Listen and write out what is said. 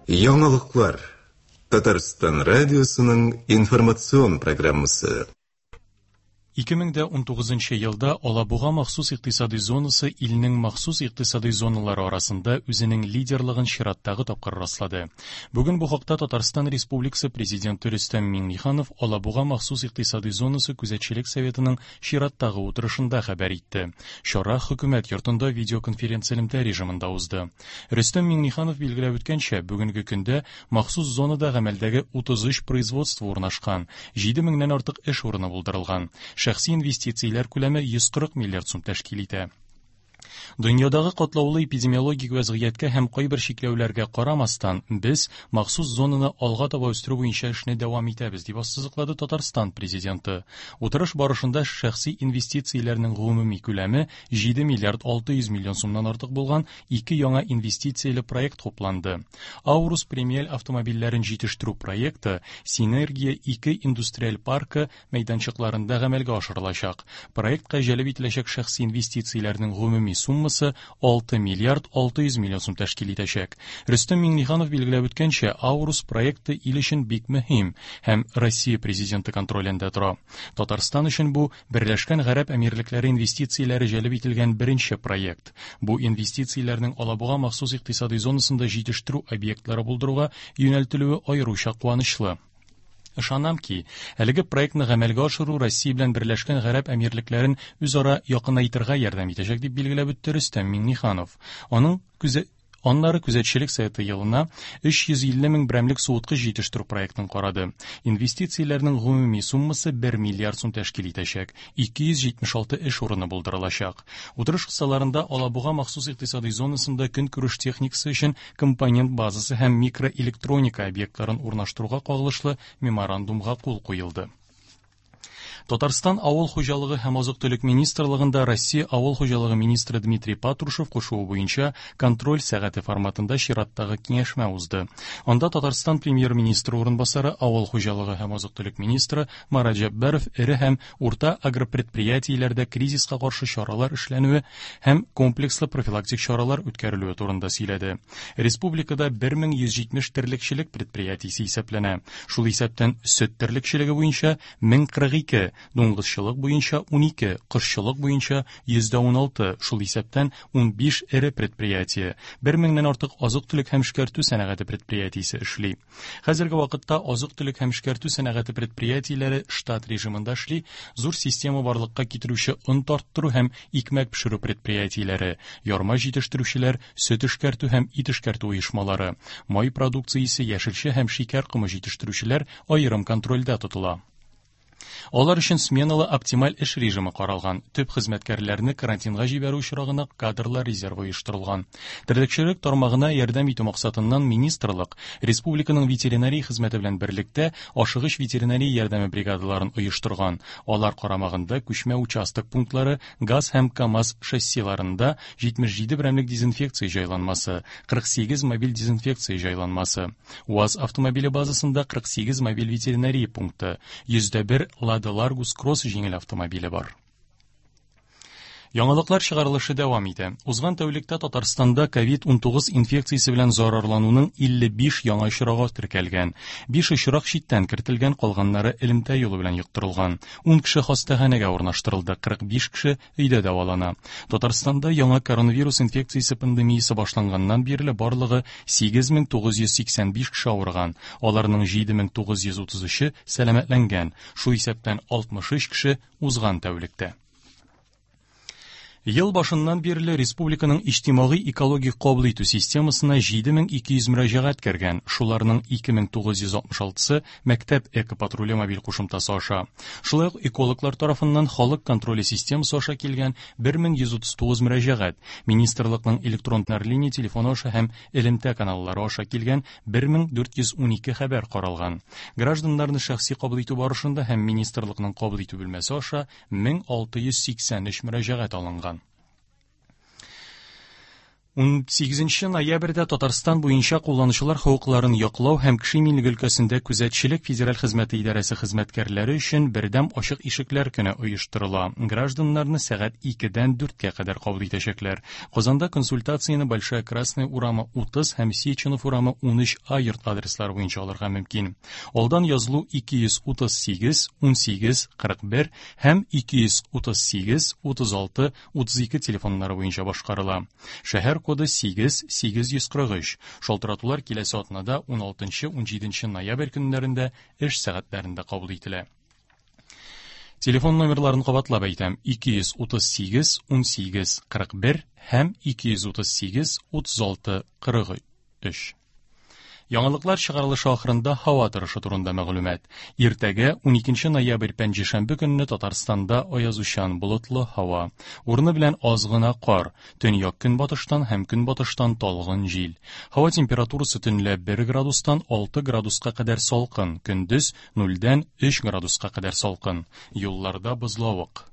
Яңалыклар. Татарстан радиосының информацион программасы. 2019 елда Алабуга махсус икътисади зонасы илнең махсус икътисади зоналары арасында үзенең лидерлыгын чираттагы тапкыр раслады. Бүген бу хакта Татарстан Республикасы Президенты Рөстәм Миңнеханов Алабуга махсус икътисади зонасы күзәтчелек советының чираттагы утырышында хәбәр итте. Чара хөкүмәт йортында видеоконференц-элемтә режимында узды. Рөстәм Миңнеханов билгеләп үткәнчә, бүгенге көндә махсус зонада гамәлдәге 33 производство урнашкан, 7 меңнән артык эш урыны булдырылган. Шәхси инвестицияләр күләме 140 миллиард сум тәшкил итә. Дөньядагы катлаулы эпидемиологик вәзгыятькә һәм кайбер чикләүләргә карамастан, без махсус зонаны алга таба үстерү буенча эшне дәвам итәбез, дип ассызыклады Татарстан Президенты. Утырыш барышында шәхси инвестицияләрнең гомуми күләме 7 миллиард 600 миллион сумнан артык булган ике яңа инвестицияле проект хупланды. Аурус премиаль автомобильләрен җитештерү проекты Синергия 2 индустриаль паркы мәйданчыкларында гамәлгә ашырылачак. Проектка җәлеп ителәчәк шәхси инвестицияләрнең гомуми суммасы 6 миллиард 600 миллион сум тәшкил итәчәк. Рөстәм Миңнеханов билгеләп үткәнчә, Аурус проекты ил өчен бик мөһим һәм Россия Президенты контролендә тора. Татарстан өчен бу Берләшкән Гарәп Әмирлекләре инвестицияләре җәлеп ителгән беренче проект. Бу инвестицияләрнең Алабуга махсус икътисади зонасында җитештерү объектлары булдыруга юнәлтелүе аеруча куанычлы. Ышанам ки, әлеге проектны гамәлгә ашыру Россия белән Берләшкән Гарәп Әмирлекләрен үзара якынайтырга ярдәм итәчәк, дип билгеләп үтте Рөстәм Миңнеханов. Аның күзе Аннары күзәтчелек советы елына 350 мең берәмлек суыткыч җитештерү проектын карады. Инвестицияләрнең гомуми суммасы 1 миллиард сум тәшкил итәчәк, 276 эш урыны булдырылачак. Утырыш кысаларында Алабуга махсус икътисади зонасында көнкүреш техникасы өчен компонент базасы һәм микроэлектроника объектларын урнаштыруга кагылышлы меморандумга кул куелды. Татарстан Авыл хуҗалыгы һәм азык-төлек министрлыгында Россия Авыл хуҗалыгы министры Дмитрий Патрушев кушуы буенча контроль сәгате форматында чираттагы киңәшмә узды. Анда Татарстан премьер-министры урынбасары, авыл хуҗалыгы һәм азык-төлек министры Марат Җәббаров эре һәм урта агропредприятиеләрдә кризиска каршы чаралар эшләнүе һәм комплекслы профилактик чаралар үткәрелүе турында сөйләде. Республикада 1170 терлекчелек предприятиесе исәпләнә. Шул исәптән сөт терлекчелеге буенча 1042, дуңгызчылык буенча 12, кошчылык буенча 116, шул исәптән 15 эре предприятие, 1 меңнән артык азык-төлек һәм эшкәртү сәнәгате предприятиесе эшли. Хәзерге вакытта азык-төлек һәм эшкәртү сәнәгате предприятиеләре штат режимында эшли, зур система барлыкка китерүче он тарттыру һәм икмәк пешерү предприятиеләре, ярма җитештерүчеләр, сөт эшкәртү һәм ит эшкәртү оешмалары, май продукциясе, яшелчә һәм шикәр комы җитештерүчеләр аерым контрольдә тотыла. Алар өчен сменалы оптималь эш режимы каралган. Төп хезмәткәрләрне карантинга җибәрү очрагына кадрлар резервы оештырылган. Терлекчелек тармагына ярдәм итү максатыннан министрлык республиканың ветеринария хезмәте белән берлектә ашыгыч ветеринария ярдәме бригадаларын оештырган. Алар карамагында күчмә участок пунктлары, ГАЗ һәм КАМАЗ шассиларында 77 берәмлек дезинфекция җайланмасы, 48 мобиль дезинфекция җайланмасы, УАЗ автомобиле базасында 48 мобиль ветеринария пункты, 101 Лада Ларгус Кросс җиңел автомобиле бар. Яңалыклар чыгарылышы дәвам итә. Узган тәүлектә Татарстанда COVID-19 инфекциясе белән зарарлануның 55 яңа очрагы теркәлгән. 5 очрак читтән кертелгән, калганнары элемтә юлы белән йоктырылган. 10 кеше хастаханәгә урнаштырылды, 45 кеше өйдә дәвалана. Татарстанда яңа коронавирус инфекциясе пандемиясе башланганнан бирле барлыгы 8985 кеше авырган. Аларның 7933-е сәламәтләнгән. Шул исәптән 63 кеше узган тәүлектә. Ел башыннан бирле республиканың иҗтимагый экологик кабул итү системасына 7200 мөрәҗәгать кергән, шуларның 2966-сы мәктәп экопатруле мобиль кушымтасы аша. Шулай ук экологлар тарафыннан халык контроле системасы аша килгән 1139 мөрәҗәгать, министрлыкның электрон линия телефоны аша һәм элемтә каналлары аша килгән 1412 хәбәр каралган. Гражданнарны шәхси кабул итү барышында һәм министрлыкның кабул итү бүлмәсе аша 1683 мөрәҗәгать алынган. 18 ноябрьдә Татарстан буенча кулланучылар хокукларын яклау һәм кеше иминлеге өлкәсендә күзәтчелек федераль хезмәте идарәсе хезмәткәрләре өчен бердәм ачык ишекләр көне оештырыла. Гражданнарны сәгать 2-дән 4-кә кадәр кабул итәчәкләр. Казанда консультацияне Большая Красная урамы 30 һәм Сеченов урамы 13А йорт адреслары буенча алырга мөмкин. Алдан язылу 238 18 41 һәм 238 36 32 телефоннары буенча башкарыла. Шәһәр коды 8 843. Шалтыратулар киләсе атнада 16-17 ноябрь көннәрендә эш сәгатьләрендә кабул ителә. Телефон номерларын кабатлап әйтәм: 238 18 41 һәм 238 36 43. Яңалыклар чыгарылышы ахырында һава торышы турында мәгълүмат. Иртәгә 12 ноябрь пәнҗешәмбе көнне Татарстанда аязучан болытлы һава. Урыны белән аз гына кар, төньяк көнбатыштан һәм көнбатыштан талгын җил. Һава температурасы төнлә 1 градустан 6 градуска кадәр салкын, көндез 0-дән 3 градуска кадәр салкын. Юлларда бозлавык.